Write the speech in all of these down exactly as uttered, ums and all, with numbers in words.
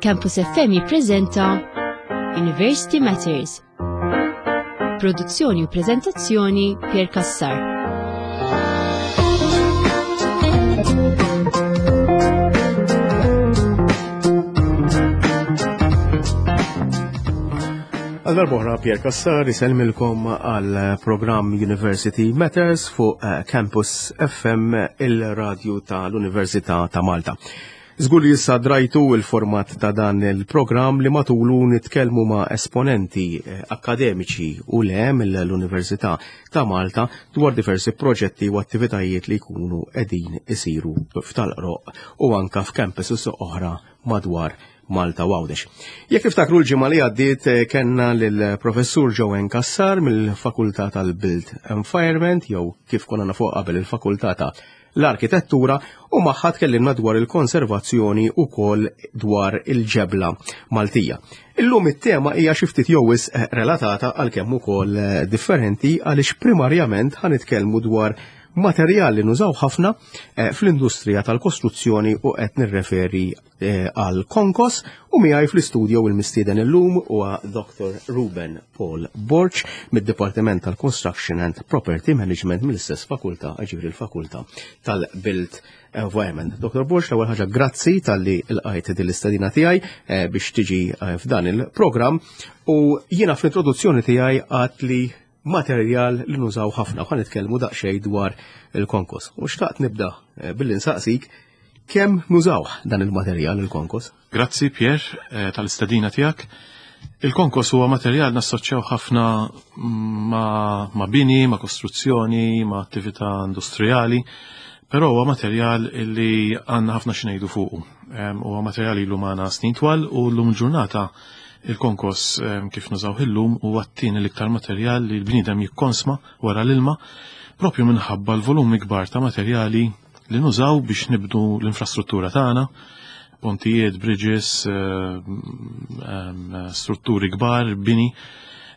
Campus F M jippreżenta University Matters. Produzzjoni u preżentazzjoni, Pier Cassar. Għal darb'oħra, Pier Cassar isellmilkom għal programm University Matters fuq eh, Campus F M, il-radju tal-Università ta' Malta. Żgur li issa drajtu il-format ta' dan il-programm li matulu nitkellmu ma' esponenti eh, akademiċi u le mill-Università ta' Malta dwar diversi proġetti u attivitajiet li jkunu qegħdin isiru f'Tal-Qroqq u anka f'campuses oħra madwar Malta u Għawdex. Jekk tiftakru, l-ġimgħa li għaddiet eh, kellna lill-professur Joanne Cassar mill-Fakultà tal-Built Environment, jew kif konna nafu qabel, il-Fakultà ta' l-Arkitettura, u magħha tkellimna dwar il-konservazzjoni u kol dwar il-ġebla Maltija. Illum it-tema hija xi ftit jew wisq eh, relatata, għalkemm ukoll eh, differenti, għaliex primarjament ħa nitkellmu dwar materjal li nużaw ħafna eh, fl-industrija tal-kostruzzjoni u qed nirreferi eh, għal konkos. U miegħi fl-istudio il-mistieden illum huwa Doctor Ruben Paul Borg mid-Dipartiment tal-Construction and Property Management mill-istess fakultà, ġifieri il-Fakultà tal-Built Environment. Doctor Borg, l-ewwel ħaġa, grazzi talli lqajt din l-istedina tiegħi eh, biex tiġi f'dan il-programm, u jiena fl-introduzzjoni tiegħi għedt li materjal li nużaw ħafna, ħa nitkellmu daqsxejn dwar il-konkos. U xtaqt nibda eh, billi nsaqsik kemm nużaw dan il-materjal, il-konkos? Grazzi, Pier, eh, tal-istedina tiegħek. Il-konkos huwa materjal nassoċjaw ħafna ma, ma bini, ma kostruzzjoni, ma attività industrijali, però huwa materjal li għandna ħafna x'ngħidu fuqu. Huwa materjal ilu magħna snin twal u llum ġurnata il-konkos kif nużaw illum huwa t-tieni l-iktar materjal li l-bniedem jikkonsma wara l-ilma, propju minħabba l-volumi kbar ta' materjali li nużaw biex nibnu l-infrastruttura tagħna, pontijiet, bridges, strutturi kbar, bini,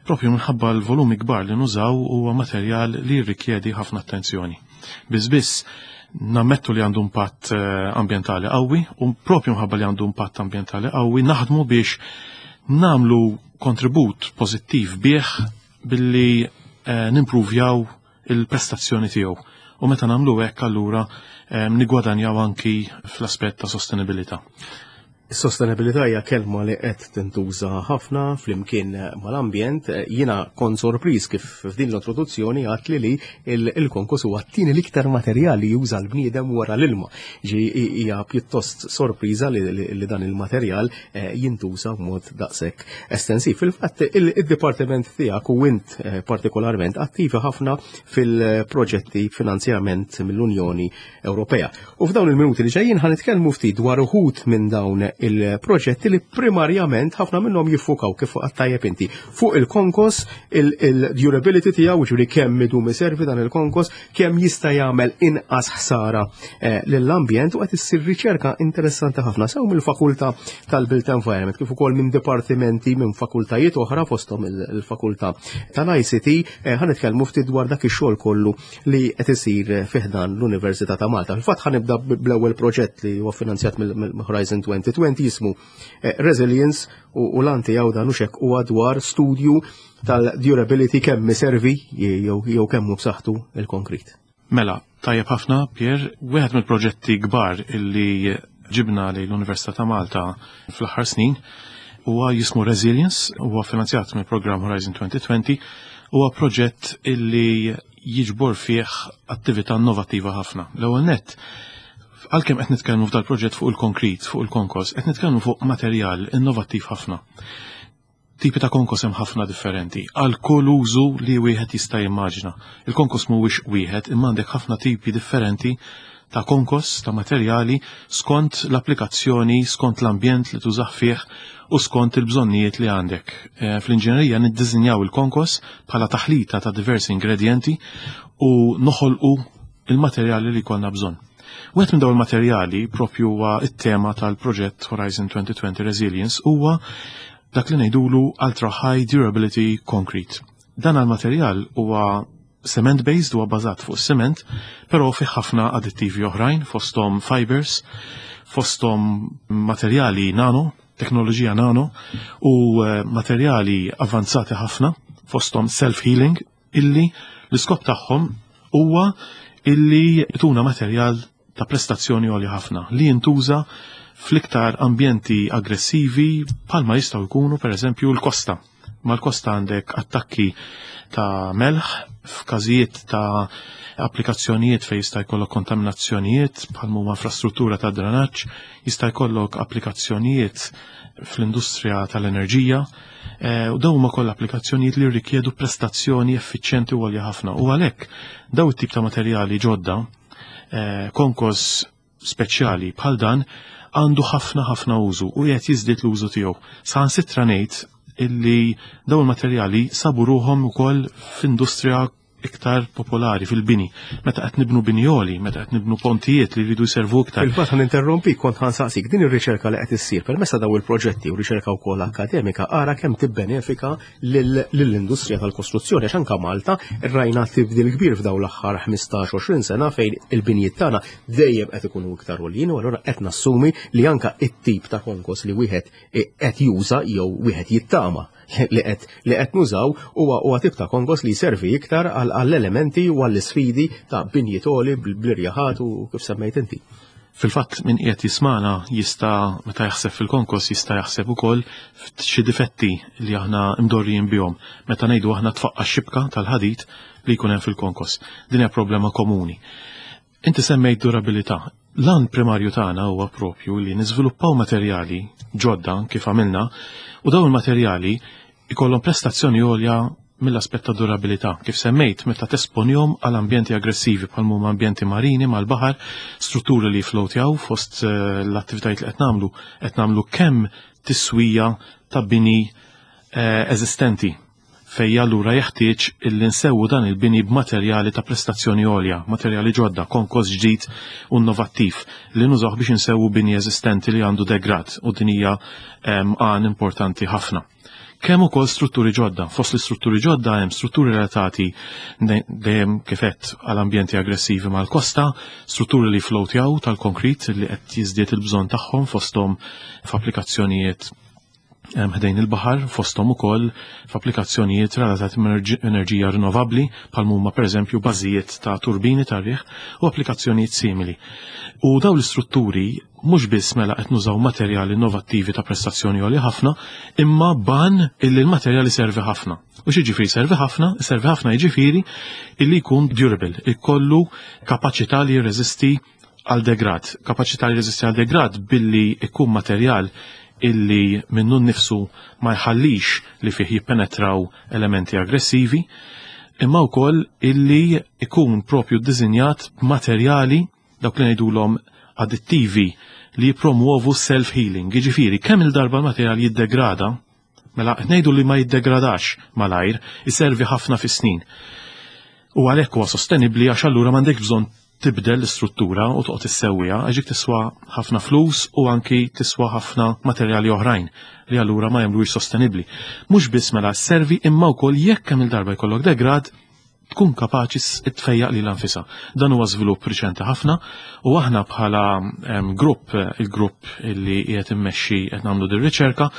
propju minħabba l-volumi kbar li nużaw, huwa materjal li jirrikjedi ħafna attenzjoni. Biss biss nammettu li għandu impatt eh, ambientali qawwi, u propju minħabba li għandu impatt ambientali qawwi naħdmu biex nagħmlu kontribut pożittiv bih billi eh, nimpruvjaw il-prestazzjoni tiegħu. U meta nagħmlu hekk, allura eh, nigwadanjaw anki fl-aspett ta' sostenibilità. Is-sostenibilità hija kelma li qed tintuża ħafna flimkien mal-ambjent. Jiena kont sorpriż kif f'din l-introduzzjoni għedt li li il-konkos huwa t-tieni l-iktar materjal li juża l-bniedem wara l-ilma. Ġi hija pjuttost sorpriża li, li dan il-materjal eh, jintuża b'mod daqshekk estensiv. Fil-fatt, il-dipartiment tiegħek u int eh, partikolarment attivi ħafna fil-proġetti finanzjament mill-Unjoni Ewropea. U f'dawn il-minuti li ġejjin ħa nitkellmu ftit dwar uħud minn dawn il-proġetti li primarjament ħafna minnhom jiffukaw, kif tajjeb inti, fuq il-konkos, il-durability tiegħu, ġifieri kemm idum iservi dan il-konkos, kemm jista' jagħmel inqas ħsara eh, lill-ambjent, u qed issir riċerka interessanti ħafna sew mill-Fakultà tal-Built Environment kif ukoll minn dipartimenti minn fakultajiet oħra, fosthom il-Fakultà tal-I C T. eh, Ħa nitkellmu ftit dwar dak ix-xogħol kollu li qed isir fi ħdan l-Università ta' Malta. Fil-fatt, ħa nibda bl-ewwel proġett li huwa finanzjat mill-Horizon twenty twenty, jismu eh, Resilience, u l-għan tiegħu dan u xek huwa dwar studju tal-durability, kemm iservi jew kemm hu b'saħħtu il-konkrit. Mela, tajjeb ħafna, Pier, wieħed mill-proġetti kbar illi ġibna li l-Università ta' Malta fl-aħħar snin huwa jismu Resilience, huwa finanzjat mill-programm Horizon twenty twenty, huwa proġett illi jiġbor fih attività innovattiva ħafna. L-ewwel nett, għalkemm qed nitkellmu f'dal proġett fuq il-konkrit, fuq il-konkos, qed nitkellmu fuq materjal innovattiv ħafna. Tipi ta' konkos hemm ħafna differenti, għal kull użu li wieħed jista' jimmaġina. Il-konkos mhuwiex wieħed, imma għandek ħafna tipi differenti ta' konkos, ta' materjali, skont l-applikazzjoni, skont l-ambjent li tużah fih u skont il-bżonnijiet li għandek. E, Fl-inġinerija niddiżinjaw il-konkos bħala taħlita ta' diversi ingredienti u noħolqu il-materjali li konna bżonn. Wieħed minn dawn il-materjali, propju huwa it-tema tal-proġett Horizon twenty twenty Resilience, huwa dak li ngħidulu Ultra High Durability Concrete. Dan il-materjal huwa cement based, huwa bażat fuq cement, però fih ħafna addittivi oħrajn, fosthom fibers, fosthom materjali nano. Teknoloġija nano u eh, materjali avanzati ħafna, fosthom self-healing, illi l-iskop tagħhom huwa illi tuna materjal ta' prestazzjoni għolja ħafna li jintuża fl-iktar ambjenti aggressivi, bħalma jistgħu jkunu, per eżempju, l-kosta. Mal-kosta għandek attakki ta' melħ, f'każijiet ta' applikazzjonijiet fejn jista' jkollok kontaminazzjonijiet bħal huma infrastruttura ta' drenaġġ, jista' jkollok applikazzjonijiet fl-industrija tal-enerġija, eh, u dawn huma kollha applikazzjonijiet li rrikjedu prestazzjoni effiċjenti u għolja ħafna. U għalhekk daw it-tip ta' materjali ġodda, eh, konkos speċjali bħal dan, għandu ħafna ħafna użu u qed jiżdied l-użu tiegħu. Saħansitra ngħid illi dawn il-materjali sabu ruħhom ukoll f'industrija iktar popolari, fil-bini. Meta qed nibnu bini għoli, meta qed nibnu pontijiet li jridu jservu iktar. Fil-fatt, ħa ninterrompi, kont ħa nsaqsik din ir-riċerka li qed issir permezz ta' daw il-proġetti u riċerka wkoll akademika, ara kemm tibbenefika lill-industrija tal-kostruzzjoni, għax anke Malta rajna tibdil kbir f'daw l-aħħar ħmistax għoxrin sena fejn il-binjiet tagħna dejjem qed ikunu iktar għoljin, u allura qed nassumi li anka it-tip ta' konkos li wieħed qed juża jew wieħed jittama li qed li qed nużaw huwa huwa tip ta' konkos li jservi iktar għall-elementi u għall-isfidi ta' binjiet għoli bl-irjaħat u kif semmejt inti. Fil-fatt, min qiegħed jismana jista', meta jaħseb fil-konkos, jista' jaħseb ukoll f'xi difetti li aħna mdorrijin bihom. Meta ngħidu aħna tfaqqa xibka tal-ħadid li jkun hemm fil-konkos. Din hija problema komuni. Inti semmejt durabilità. L-għan primarju tagħna huwa propju li niżviluppaw materjali ġodda kif għamilna, u dawn il-materjali ikollhom prestazzjoni għolja mill-aspett ta' durabilità. Kif semmejt, meta tesponihom għal ambjenti aggressivi bħal huma ambjenti marini mal-baħar, strutturi li floatjaw. Fost eh, l-attivitajiet li qed nagħmlu, qed nagħmlu kemm tiswija ta' bini eh, eżistenti fej allura jeħtieġ illi nsewwu dan il-bini b'materjali ta' prestazzjoni għolja, materjali ġodda, konkos ġdid u innovattiv li nużaw biex insewwu bini eżistenti li għandu degrad, u din hija għan importanti ħafna. Kemm ukoll strutturi ġodda. Fost l-istrutturi ġodda hemm strutturi relatati dejjem kif għedt għal ambjenti aggressivi mal-kosta, strutturi li floatjaw tal-konkrit li qed jiżdied il-bżonn tagħhom, fosthom f'applikazzjonijiet ħdejn il-baħar, fosthom ukoll f'applikazzjonijiet relatati ma' enerġija rinnovabbli, bħal huma, pereżempju, bażijiet ta' turbini tar-riħ u applikazzjonijiet simili. U dawn l-istrutturi mhux biss mela qed nużaw materjali innovattivi ta' prestazzjoni għolja ħafna, imma ban illi l-materjali servi ħafna. U x'jiġifieri servi ħafna? Servi ħafna jiġifieri illi jkun durable, ikollu kapaċità li jirreżisti għal degrad, kapaċità li jirreżisti għal degrad billi ikun materjal illi minnu nnifsu ma jħallix li fih jippenetraw elementi aggressivi, imma wkoll illi ikun propju ddisinjat b'materjali, dawk li ngħidulhom addittivi, li jipromuovu self-healing. Jiġifieri, kemm il-darba l-materjal jiddegrada, mela qed ngħidu li ma jiddegradax malajr, iservi ħafna fis-snin. U għalhekk huwa sostenibbli, għax allura m'għandek bżonn tibdel l-istruttura u toqgħod issewwiha, għax tiswa ħafna flus u anki tiswa ħafna materjali oħrajn li allura ma jagħmluhiex sostenibbli. Mhux biss mela servi, imma wkoll jekk kemm il-darba jkollok degrad, tkun kapaċi tfejjaq lilha nfisha. Dan huwa żvilupp riċenti ħafna u aħna bħala grupp, il-grupp li qiegħed immexxi qed nagħmlu din riċerka,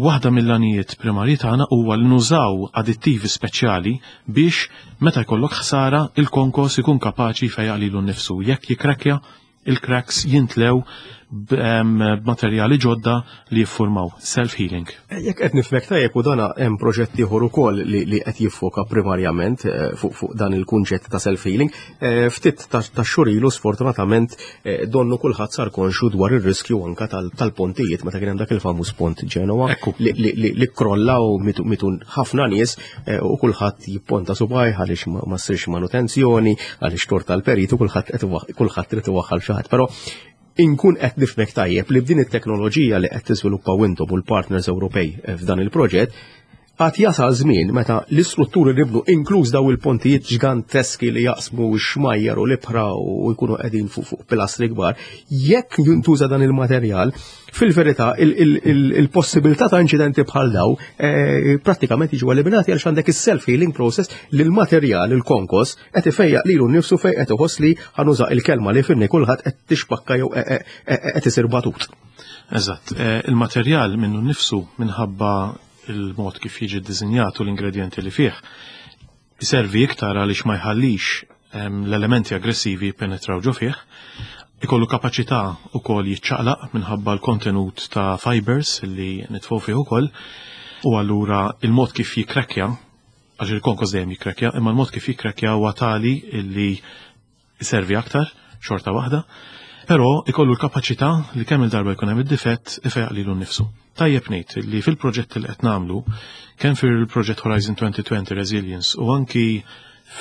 waħda mill-għanijiet primarji tagħna huwa li nużaw addittivi speċjali biex meta jkollok ħsara, il-konkos ikun kapaċi jfejjaq lilu nnifsu. Jekk jikrekja, il-cracks jintlew b'materjali ġodda li jiffurmaw self-healing. Jekk qed nifhmek tajjeb, u dana hemm proġett ieħor ukoll li, li qed jiffoka primarjament eh, fuq fuq dan il-kunċett ta' self-healing, eh, ftit ta' xhur ilu, sfortunatament, eh, donnu kulħadd sar konxu dwar ir-riskju anka tal-pontijiet meta kien hemm dak il-famuż pont Ġenova li, li, li, li krolla u mitu, mitu ħafna nies, u kulħadd jipponta subgħajh għaliex ma, ma ssirx manutenzjoni, għaliex tort tal-peritu, kulħadd kulħadd irid iwaħħal xi ħadd. Però inkun qed nifhmek tajjeb li b'din it-teknoloġija li qed tiżviluppaw intom u l-partners Ewropej f'dan il-proġett, Għad jasal żmien meta l-istrutturi li nibnu, inkluż daw il-pontijiet ġganteski li jaqsmu x-xmajjar u l-ibħra u jkunu qegħdin fuq fuq pilastri kbar, jekk jintuża dan il-materjal, fil-verità il-possibilità ta' inċidenti bħal daw eh, prattikament jiġu eliminati, għaliex għandek is-self-healing process li l-materjal, il-konkos, qed ifejjaq lilu nnifsu fejn qed iħoss li, ħa nuża il-kelma li jifhimni kulħadd, qed tixpakka jew qed isir batut. Eżatt, eh, il-materjal minnu nnifsu, minħabba il-mod kif jiġi ddisinjat u l-ingredienti li fih, iservi iktar għaliex ma jħallix l-elementi aggressivi penetraw ġo fih, ikollu kapaċità ukoll jiċċaqlaq minħabba l-kontenut ta' fibers li nitfgħu fih ukoll, u allura il-mod kif jikrekja, għax il-konkos dejjem jikrekja, imma l-mod kif jikrekja huwa tali illi iservi aktar, xorta waħda, però ikollu l-kapaċità li kemm il-darba jkun hemm id-difett ifejjaq lilu nnifsu. Tajjeb ngħid li fil-proġett li qed nagħmlu, kemm fil-proġett Horizon twenty twenty Resilience u anki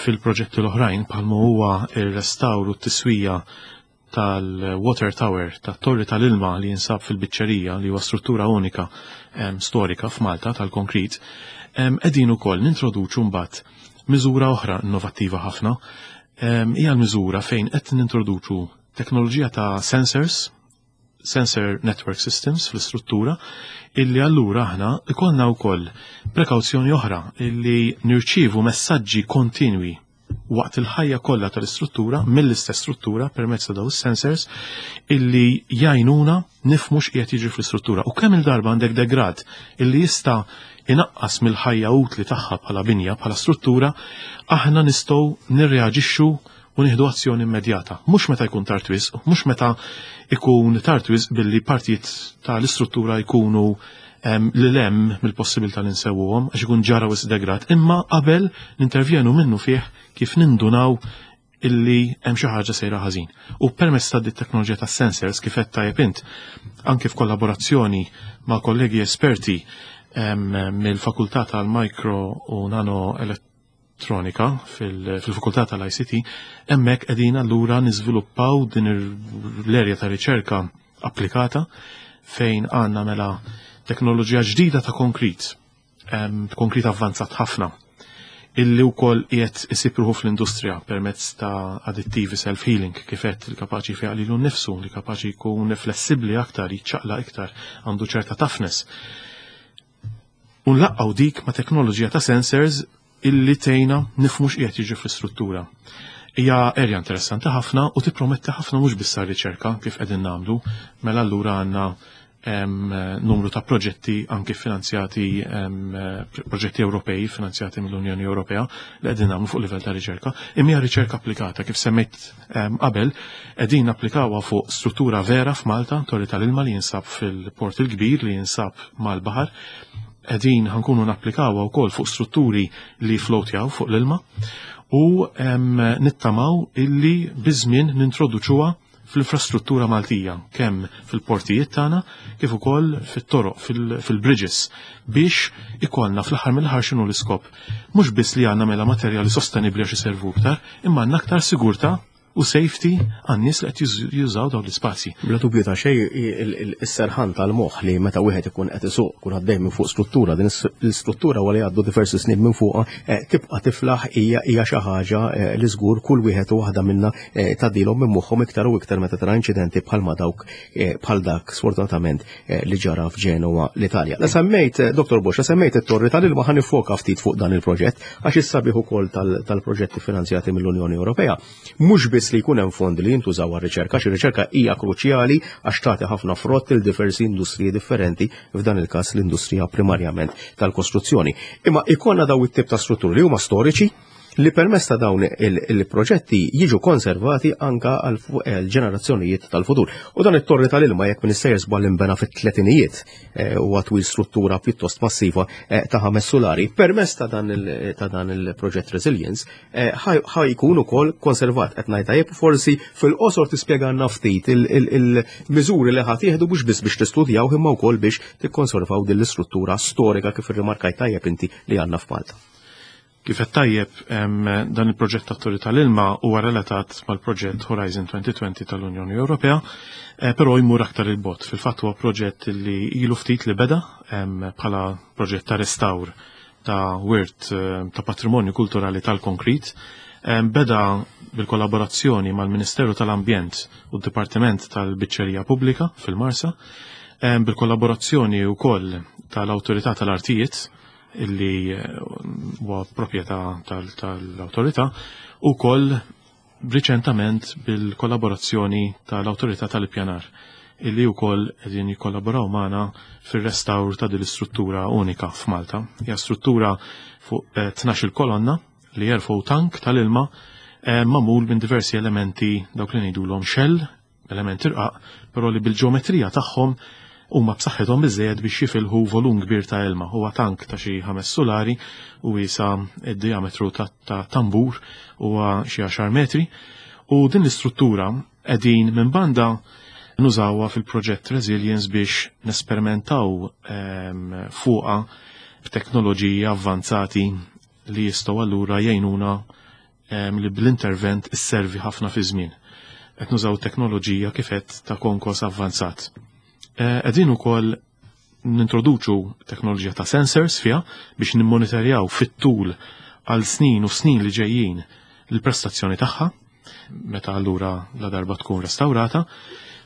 fil-proġetti l-oħrajn, bħalma huwa ir-restawr u t-tiswija tal-Water Tower, tat-torri tal-ilma li jinsab fil-Biċċerija, li huwa struttura unika storika f'Malta tal-konkrit, qegħdin ukoll nintroduċu mbagħad miżura oħra innovattiva ħafna. Hija l-miżura fejn qed nintroduċu teknoloġija ta' sensors, sensor network systems fl-istruttura, illi allura aħna ikollna wkoll prekawzjoni oħra illi nirċievu messaġġi kontinwi waqt il-ħajja kollha tal-istruttura mill-istess struttura permezz ta' daw is-sensors illi jgħinuna nifhmu x'qiegħed jiġri fl-istruttura. U kemm il-darba għandek degrad illi jista' inaqqas mill-ħajja utli tagħha bħala binja, bħala struttura, aħna nistgħu nirreaġixxu u nieħdu azzjoni immedjata. Mhux meta jkun tard wisq, mhux meta ikun tard wisq billi partijiet tal-istruttura jkunu li lem mill-possibilità li nsewwuhom għax ikun ġara wisq degrad, imma qabel nintervjenu minnu fih kif nindunaw illi hemm xi ħaġa sejra ħażin. U permezz ta' dit teknoloġija ta' sensors, kif qed tajjeb int, anke f'kollaborazzjoni ma' kollegi esperti mill-Fakultà tal-Micro u Nano Elettronika fil-Fakultà tal-I C T, hemmhekk qegħdin allura niżviluppaw din l-erja ta' riċerka applikata fejn għandna mela teknoloġija ġdida ta' konkrit, konkrit avvanzat ħafna, illi wkoll qiegħed isib ruħu fl-industrija permezz ta' addittivi self-healing, kif qed, li kapaċi fejjaq lilu nnifsu, li kapaċi jkun flessibbli aktar, jiċċaqla iktar, għandu ċerta toughness. U nlaqqgħu dik ma' teknoloġija ta' sensors illi tgħinna nifhmu x'qiegħed jiġri fl-istruttura. Hija erja interessanti ħafna u tipprometti ħafna, mhux biss riċerka kif qegħdin nagħmlu, mela allura għandna numru ta' proġetti anki finanzjati, proġetti Ewropej finanzjati mill-Unjoni Ewropea li qegħdin nagħmlu fuq livell ta' riċerka. Imma hija riċerka applikata, kif semmejt qabel, qegħdin applikawha fuq struttura vera f'Malta, torri tal-ilma li jinsab fil-Port il-Kbir, li jinsab mal-baħar. Qegħdin ħa nkunu napplikawha wkoll fuq strutturi li floatjaw fuq l-ilma u nittamaw illi biż-żmien nintroduċuha fl-infrastruttura Maltija, kemm fil-portijiet tagħna kif ukoll fit-toroq, fil-bridges, biex ikollna fl-aħħar mill-aħħar, x'inhu l-iskop? Mhux biss li għandna mela materjali sostenibbli għax iservu aktar, imma għandna aktar sigurtà u safety għan-nies li qed jużaw dawn l-ispazji. Bla dubju ta' xejn, is-serħan tal-moħħ li meta wieħed ikun qed isuq, kun għaddej minn fuq struttura, din l-istruttura wara jgħaddu diversi snin minn fuqha eh, tibqa' tiflaħ, hija hija xi ħaġa eh, li żgur kull wieħed u waħda minna eh, tgħaddilhom minn moħħhom, iktar u iktar meta tara inċidenti bħalma dawk, bħal dak sfortunatament li ġara f'Ġenova, l-Italja. La semmejt, Dottor Bosch, la semmejt it-torri tal-ilma, ħa niffoka ftit fuq dan il-proġett, għax is-sabiħ ukoll tal-proġetti finanzjati mill-Unjoni Ewropea mhux biss li jkun hemm fondi li jintużaw għar-riċerka, xi riċerka hija kruċjali għax tagħti ħafna frott il diversi industriji differenti, f'dan il-każ l-industrija primarjament tal-kostruzzjoni. Imma ikollna daw it-tip ta' strutturi li huma storiċi, li permezz ta' dawn il-proġetti jiġu konservati anka għal ġenerazzjonijiet tal-futur. U dan it-torri tal-ilma, jekk m'iniex sejjer żball, inbena fit-tletinijiet eh, u għatwil struttura pjuttost massiva eh, ta' ħames solari. Permezz ta' dan il-proġett Resilience eh, ħa jkun ukoll konservat, qed ngħid tajjeb? Forsi fil-qosor tispjega ftit il-miżuri li ħa tieħdu mhux biss biex tistudjaw imma wkoll biex tikkonservaw din l-istruttura storika, kif irrimarkajt tajjeb inti, li għandna f'Malta. Kif qed tajjeb, dan il-proġett tat-torri tal-ilma huwa relatat mal-proġett Horizon twenty twenty tal-Unjoni Ewropea, eh, però jmur aktar 'il bogħod. Fil-fatt huwa proġett li ilu ftit li beda bħala proġett ta' restawr Ta' wirt ta' patrimonju kulturali tal-konkrit. Beda bil-kollaborazzjoni mal-Ministeru tal-Ambjent u d-Dipartiment tal-Biċċerija Pubblika fil-Marsa, bil-kollaborazzjoni wkoll tal-Awtorità tal-Artijiet, illi huwa proprjetà tal-awtorità, u wkoll riċentament bil-kollaborazzjoni tal-Awtorità tal-Ippjanar, illi wkoll qegħdin jikkollaboraw magħna fir-restawr ta' din l-istruttura unika f'Malta. Hija struttura fuq tnax-il kolonna li jerfgħu tank tal-ilma magħmul minn diversi elementi, dawk li ngħidulhom shell, elementi rqaq, però li bil-ġeometrija tagħhom huma b'saħħithom biżejjed biex jifilħu volum kbir ta' ilma. Huwa tank ta' xi ħames sulari u wiesa id-diametru ta' tambur huwa xi għaxar metri. U din l-istruttura qegħdin minn banda nużawha fil-proġett Resilience biex nesperimentaw fuqha b'teknoloġiji avvanzati li jistgħu allura jgħinuna li bl-intervent isservi ħafna fi żmien. Qed nużaw teknoloġija kif qed ta' konkos avvanzat. Qegħdin ukoll nintroduċu teknoloġija ta' sensors fiha biex nimmonitorjaw fit-tul għal snin u snin li ġejjin l-prestazzjoni tagħha meta allura la darba tkun restawrata.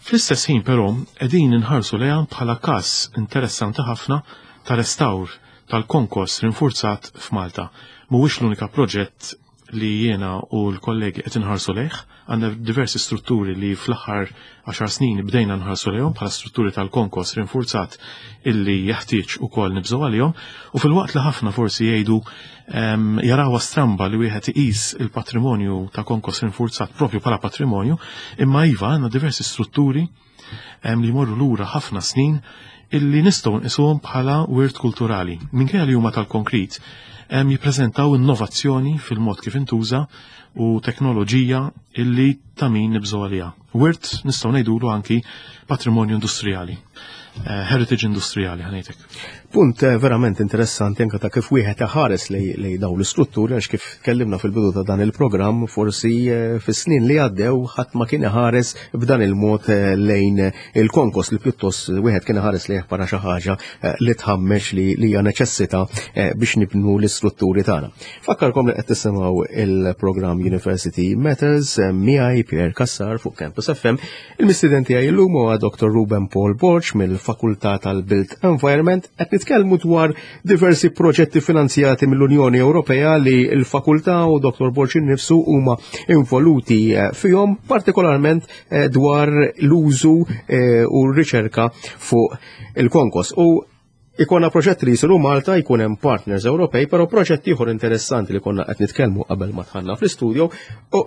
Fl-istess ħin però qegħdin inħarsu lejha bħala każ interessanti ħafna ta' restawr tal-konkos rinforzat f'Malta. Mhuwiex l-unika proġett li jiena u l-kollegi qed inħarsu lejh, għandna diversi strutturi li fl-aħħar għaxar snin bdejna nħarsu lejhom bħala strutturi tal-konkos rinforzat illi jeħtieġ ukoll nibżgħu għalihom, u fil-waqt li ħafna forsi jgħidu jarawha stramba li wieħed iqis il-patrimonju ta' konkos rinforzat propju bħala patrimonju, imma iva għandna diversi strutturi li jmorru lura ħafna snin illi nistgħu nqisuhom bħala wirt kulturali. Minkejja li huma tal-konkrit, jippreżentaw innovazzjoni fil-mod kif intuża u teknoloġija illi ta' min nibżgħu għaliha. Wirt nistgħu ngħidulu anki patrimonju industrijali, heritage industrijali ħanejtek. Punt verament interessanti anke ta' kif wieħed iħares lejn dawn l-istrutturi, għax kif tkellimna fil-bidu ta' dan il-programm, forsi fis-snin li għaddew ħadd ma kien iħares b'dan il-mod lejn il-konkos, li pjuttost wieħed kien iħares lejh bħala xi ħaġa li tħammex li hija neċessità biex nibnu l-istrutturi tagħna. Fakkarkom li qed tisimgħu il-programm University Matters miegħi Pierre Cassar fuq Campus F M. Il-mistieden tiegħi llum huwa Doctor Ruben Paul Borg mill-Fakultà tal-Built Environment. Qed nitkellmu dwar diversi proġetti finanzjati mill-Unjoni Ewropea li l-fakultà u Doctor Borg innifsu huma involuti fihom, partikolarment dwar l-użu u r-riċerka fuq il-konkos. U ikonna proġett li jisiru Malta, jkun hemm partners Ewropej, però proġett ieħor interessanti li konna qed nitkellmu qabel ma dħalna fl-istudio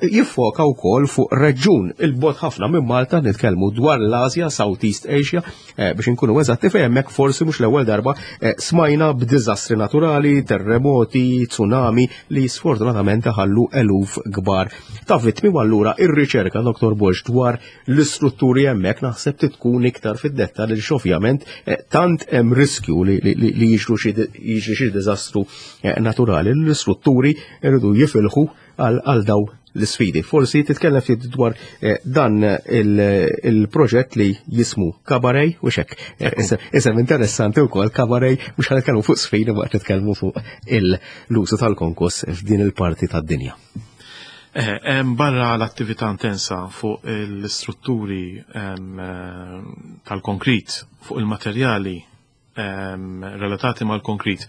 jiffoka wkoll fuq reġjun il-bogħod ħafna minn Malta, nitkellmu dwar l-Asja, Southeast Asia, biex inkunu eżatti, fejn hemmhekk forsi mhux l-ewwel darba smajna b'diżastri naturali, terremoti, tsunami li sfortunatament ħallu eluf kbar ta' vittmi. U allura ir-riċerka, Doctor Borg, dwar l-istrutturi hemmhekk naħseb tkun iktar fid-dettall, li ovvjament tant hemm riskju li jiġru xi diżastru naturali, l-istrutturi irridu jifilħu għal daw l-sfidi. Forsi titkellem ftit dwar dan il-proġett li jismu Cabaret u xek. Isem interessanti wkoll Cabaret, mhux ħa nitkellmu fuq sfidi, ma qed nitkellmu fuq l-użu tal-konkos f'din il-parti tad-dinja. Barra l-attività intensa fuq l-istrutturi tal-konkrit, fuq il-materjali relatati mal-konkrit,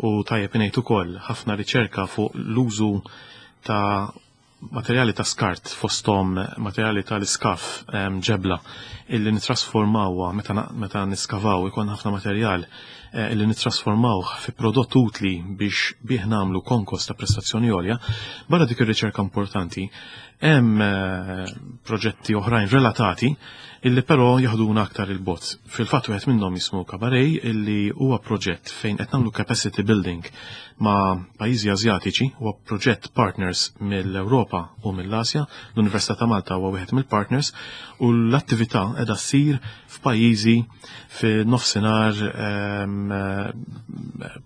u tajjeb ngħid ukoll ħafna riċerka fuq l-użu ta' materjali ta' skart, fosthom materjali tal-iskaf, ġebla, illi nitrasformawha meta niskavaw ikun ħafna materjal illi nitrasformawh fi prodott utli biex bih nagħmlu konkos ta' prestazzjoni għolja. Barra dik ir-riċerka importanti, hemm proġetti oħrajn relatati illi però jaħduna aktar il-bot. Fil-fatt wieħed minnhom jismu Cabaret, illi huwa proġett fejn qed nagħmlu capacity building ma' pajjiżi Asjatiċi, huwa proġett partners mill-Ewropa u mill-Asja, l-Università ta' Malta huwa wieħed mill-partners, u l-attività qiegħda ssir f'pajjiżi fin-nofsinhar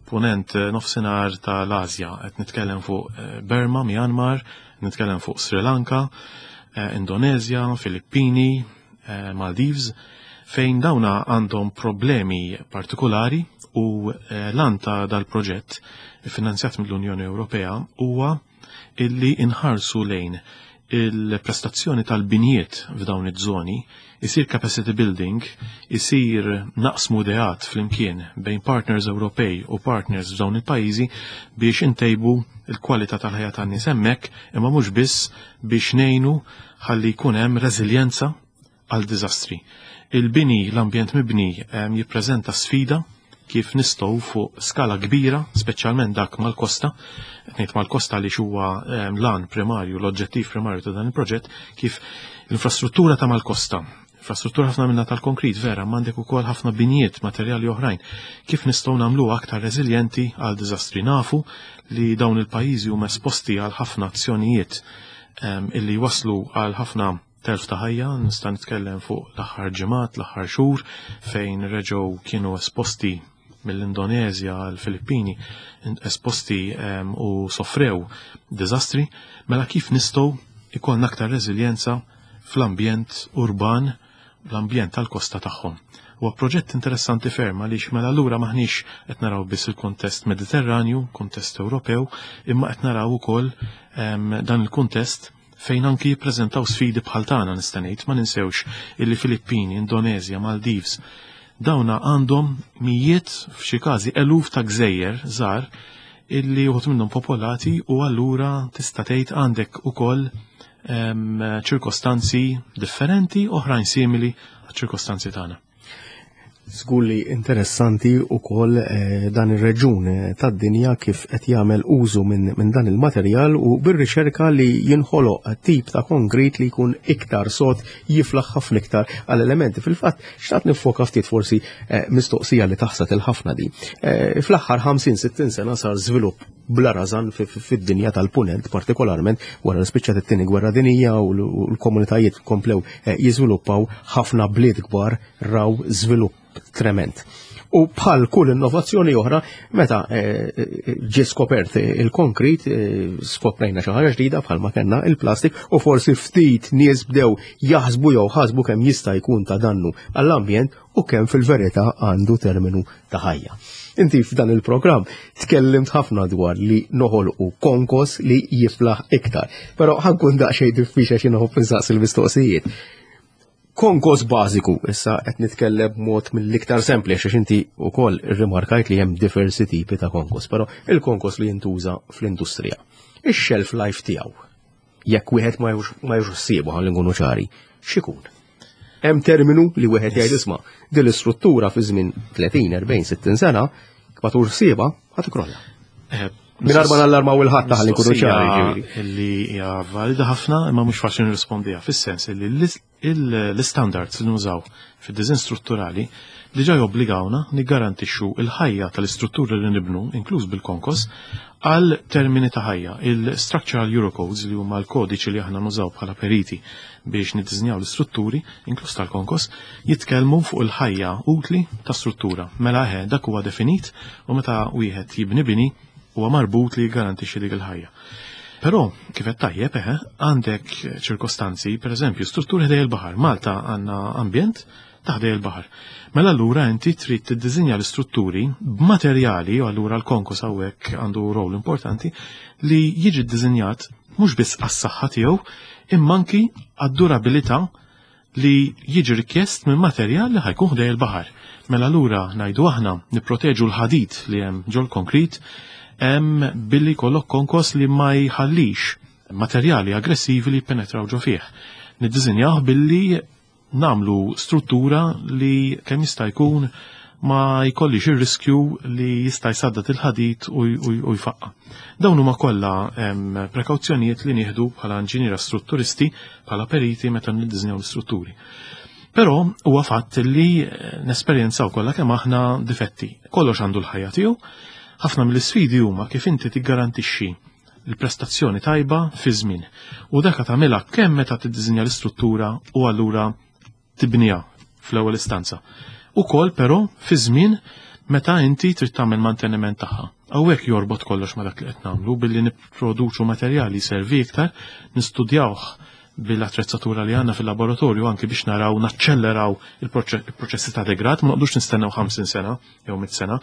ponent nofsinhar tal-Asja. Qed nitkellem fuq Burma, Myanmar, nitkellem fuq Sri Lanka, Indonezja, Filippini, Maldives, Fejn dawna għandhom problemi partikolari u eh, l-għan ta' dal-proġett finanzjat mill-Unjoni Ewropea huwa illi inħarsu lejn il-prestazzjoni tal-binjiet f'dawn iż-żoni, isir capacity building, isir naqsmu ideat flimkien bejn partners Ewropej u partners f'dawn il-pajjiżi biex intejbu il-kwalità tal-ħajja tan-nies hemmhekk, imma mhux biss, biex ngħinu ħalli jkun hemm reżiljenza għal diżastri. Il-bini, l-ambjent mibni jippreżenta sfida kif nistgħu fuq skala kbira, speċjalment dak mal-kosta, ngħid mal-kosta li huwa l-għan primarju, l-oġġettiv primarju ta' dan il-proġett, kif l-infrastruttura ta' mal-kosta, infrastruttura ħafna minna tal-konkrit, vera, m'għandek ukoll ħafna binjiet, materjali oħrajn, kif nistgħu nagħmlu aktar reżiljenti għal diżastri. Nafu li dawn il-pajjiżi huma esposti għal ħafna azzjonijiet illi waslu għal ħafna telf ta' ħajja. Nista' nitkellem fuq l-aħħar ġimgħat, l-aħħar xhur, fejn reġgħu kienu esposti mill-Indonezja għal Filippini, esposti u soffrew diżastri, mela kif nistgħu ikollna aktar reżiljenza fl-ambjent urban, l-ambjent tal-kosta tagħhom. Huwa proġett interessanti ferm għaliex mela allura maħniex qed naraw biss il-kuntest Mediterranju, kuntest Ewropew, imma qed naraw ukoll dan il-kuntest fejn anki jippreżentaw sfidi bħal tagħna, nista' ngħid. Ma ninsewx illi Filippini, Indonezja, Maldives, dawna għandhom mijiet, f'xi każi eluf ta' gżejjer żgħar illi uħud minnhom popolati, u allura tista' tgħid għandek ukoll ċirkostanzi differenti, oħrajn simili għaċ-ċirkostanzi tagħna. Żgur li interessanti ukoll eh, dan ir-reġun eh, tad-dinja kif qed jagħmel użu minn min dan il-materjal u bir-riċerka li jinħoloq tip ta' konkrit li jkun iktar sod, jiflaħ ħafna iktar għal elementi. Fil-fatt, xtaqt nifoka ftit forsi eh, mistoqsija li taħsat il-ħafna di. Fl-aħħar ħamsin sittin sena sar żvilupp bla rażan fid-dinja tal-punent, partikolarment wara li spiċċat it-tieni gwerra dinija u l-komunitajiet komplew jiżviluppaw, ħafna bliet kbar raw żvilupp trement. U bħal kull innovazzjoni oħra, meta eh, eh, ġie skopert il-konkrit, eh, skoprejna xi ħaġa ġdida bħalma kellna il-plastik u forsi ftit nies bdew jaħsbu jew ħasbu kemm jista' jkun ta' dannu għall-ambjent u kemm fil-verità għandu terminu ta' ħajja. Inti f'dan il-programm tkellimt ħafna dwar li noħolqu konkos li jiflaħ iktar. Però ħa nkun daqsxejn diffiċli xi noħobb insaqsi il-mistoqsijiet. Konkos bażiku, issa qed nitkellem b'mod mill-iktar sempliċi għax inti wkoll irrimarkajt li hemm diversi tipi ta' konkos, però il-konkos li jintuża fl-industrija. Ix-shelf life tiegħu, jekk wieħed ma jieħux ħsiebu, ħalli nkunu ċari, x'ikun? Hemm terminu li wieħed jgħid, isma', din l-istruttura fi żmien tletin, erbgħin, sittin sena, ma tieħux ħsiebha, ħa tikrolla? Eh, Mingħajr ma nallarmaw il-ħadd, ħalli nkunu ċari, ġifieri. Illi hija valida ħafna imma mhux faċli nirrispondiha, fis-sens illi l-standards li nużaw fid-design strutturali diġà jobbligawna niggarantixxu il-ħajja tal-istruttura li nibnu, inkluż bil-konkos, għal termini ta' ħajja. Il-Structural Eurocodes, li huma l-kodiċi li aħna nużaw bħala periti biex niddiżinjaw l-istrutturi, inkluż tal-konkos, jitkellmu fuq il-ħajja utli ta' struttura. Mela eħe, dak huwa definit u meta wieħed jibni bini huwa marbut li jgarantixxi dik il-ħajja. Però, kif qed tajjeb, eħe, għandek ċirkostanzi, per eżempju, strutturi ħdej il-baħar. Malta għandna ambjent ta' ħdej il-baħar. Mela allura inti trid tiddiżinja l-istrutturi b'materjali, u allura l-konkos hawnhekk għandu rol importanti, li jiġi ddiżinjat mhux biss għas-saħħa tiegħu, imma anki għad-durabilità li jiġi rikjest minn materjal li ħa jkun ħdej il-baħar. Mela allura, ngħidu aħna, nipproteġu l-ħadid li hemm ġol konkrit hemm billi jkollok konkos li ma jħallix materjali aggressivi li penetraw ġo fih. Niddiżinjaw billi namlu struttura li kemm jista' jkun ma jkollix ir-riskju li jista' jsaddad il-ħadid u, u, u jfaqqa. Dawn huma kollha prekawzjonijiet li nieħdu bħala inġiniera strutturisti, bħala periti meta niddiżinjaw l-istrutturi. Però huwa fatt li nesperjenzaw kollha kemm aħna difetti. Kollox għandu l-ħajja tiegħu. Ħafna mill-isfidi huma kif inti tiggarantixxi l-prestazzjoni tajba fi żmien. U dak tagħmilha kemm meta tiddiżinja l-istruttura u allura tibniha fl-ewwel istanza. Ukoll però fi żmien meta inti trid tagħmel manteniment tagħha. Hawnhekk jorbot kollox ma dak li qed nagħmlu billi nipproduċu materjali servi iktar, nistudjawh bil-attrezzatura li għandna fil-laboratorju anki biex naraw naċċelleraw il-proċessi ta' degrad, ma noqogħdux nistennew ħamsin sena jew mitt sena.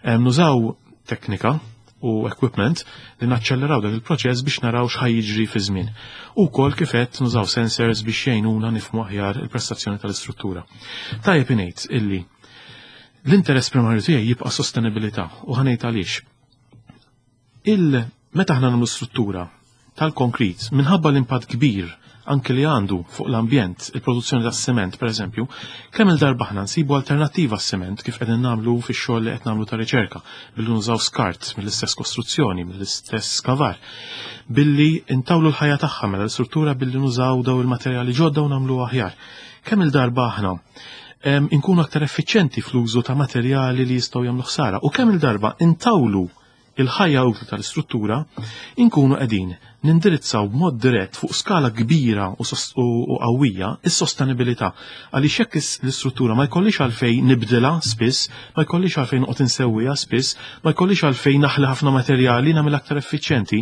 Nużaw teknika u equipment li naċċelleraw dak il-proċess biex naraw x'ħa jiġri fi żmien. U wkoll kif qed nużaw sensors biex jgħinuna nifhmu aħjar il-prestazzjoni tal-istruttura. Tajjeb ingħid illi l-interess primarju tiegħi jibqa' sostenibilità u ħa ngħid għaliex. Il meta aħna nagħmlu struttura tal-konkrit minħabba l-impatt kbir anke li għandu fuq l-ambjent, il-produzzjoni tas-sement pereżempju, kemm il-darba aħna nsibu alternattiva għas-sement kif qegħdin nagħmlu fix-xogħol li qed nagħmlu ta' riċerka, billi nużaw skart mill-istess kostruzzjoni, mill-istess kavar, billi intawlu l-ħajja tagħha mela l-istruttura billi nużaw daw il-materjali ġodda u nagħmlu aħjar. Kemm il-darba aħna inkunu aktar effiċjenti fl-użu ta' materjali li jistgħu jagħmlu ħsara u kemm il-darba intawlu il-ħajja utli tal-istruttura, inkunu qegħdin nindirizzaw b'mod dirett fuq skala kbira u qawwija is-sostenibilità. Għaliex jekk l-istruttura ma jkollix għalfejn nibdilha spiss, ma jkollix għalfejn noqgħod insewwiha spiss, ma jkollix għalfejn naħli ħafna materjali nagħmel aktar effiċjenti.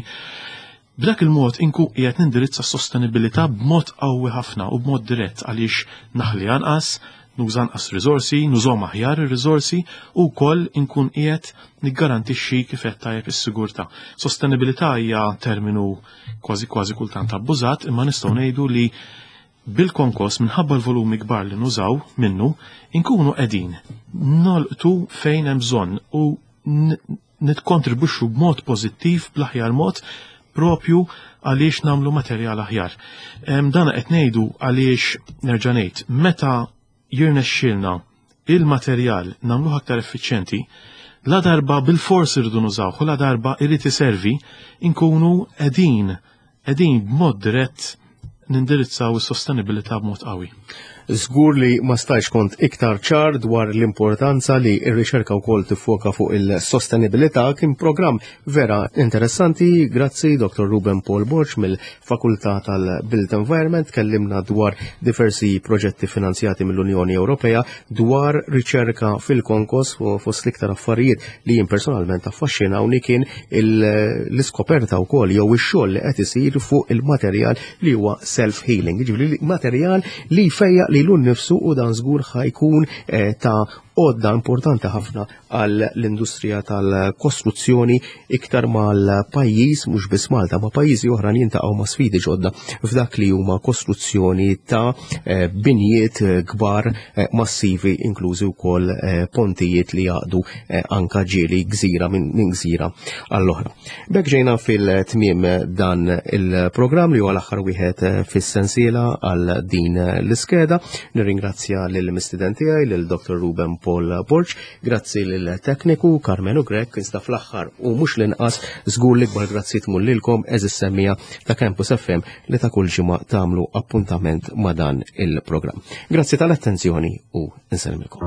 B'dak il-mod inkun qiegħed nindirizza s-sostenibilità b'mod qawwi ħafna u b'mod dirett għaliex naħli anqas, nuża anqas riżorsi, nużhom aħjar ir-riżorsi u wkoll inkun qiegħed niggarantixxi kif qed tajjeb is-sigurtà. Sostenibilità hija terminu kważi kważi kultant abbużat, imma nistgħu ngħidu li bil-konkos minħabba l-volumi kbar li nużaw minnu inkunu qegħdin nolqtu fejn hemm bżonn u nitkontribwixxu b'mod pożittiv bl-aħjar mod propju għaliex nagħmlu materjal aħjar. Dan qed ngħidu għaliex nerġa' ngħid meta jirnexxilna il-materjal nagħmluh aktar effiċjenti, la darba bil-fors irridu nużawh u la darba irid iservi inkunu qegħdin qegħdin b'mod dirett nindirizzaw is-sostenibilità b'mod qawwi. Żgur li ma stajx kont iktar ċar dwar l-importanza li r-riċerka wkoll tiffoka fuq il-sostenibilità. Kien programm vera interessanti. Grazzi Doktor Ruben Paul Borg mill-Fakultà tal-Built Environment. Kellimna dwar diversi proġetti finanzjati mill-Unjoni Ewropea dwar riċerka fil-konkos u fost l-iktar affarijiet li jien personalment affaxxinawni kien l-iskoperta wkoll jew ix-xogħol li qed isir fuq il-materjal li huwa self-healing, jiġifieri materjal li jfejjaq lilu nnifsu u dan żgur ħajkun ta' għodda importanti ħafna għall-industrija tal-kostruzzjoni iktar mal-pajjiż, mhux biss Malta, ma' pajjiżi oħra jintaqgħu ma' sfidi ġodda f'dak li huma kostruzzjoni ta' binjiet kbar massivi, inklużi wkoll pontijiet li jaqdu anka ġieli gżira minn gżira għall-oħra. B'hekk ġejna fil-tmiem dan il-programm li huwa l-aħħar wieħed fis-sensiela għal din l-iskeda. Nirringrazzja lill-mistiden tiegħi, lil Doktor Ruben Paul Borg, grazzi lill-tekniku Carmenu Grech, iżda fl-aħħar u mhux l-inqas żgur l-ikbar grazzi tmur lilkom eżis semmija ta' Campus F M li ta' kull ġimgħa tagħmlu appuntament ma' dan il-programm. Grazzi tal-attenzjoni u nsellmilkom.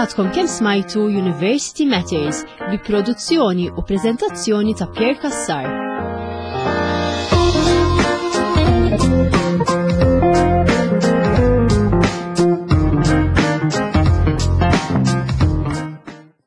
Għadkom kemm smajtu University Matters bi produzzjoni u preżentazzjoni ta' Pierre Cassar.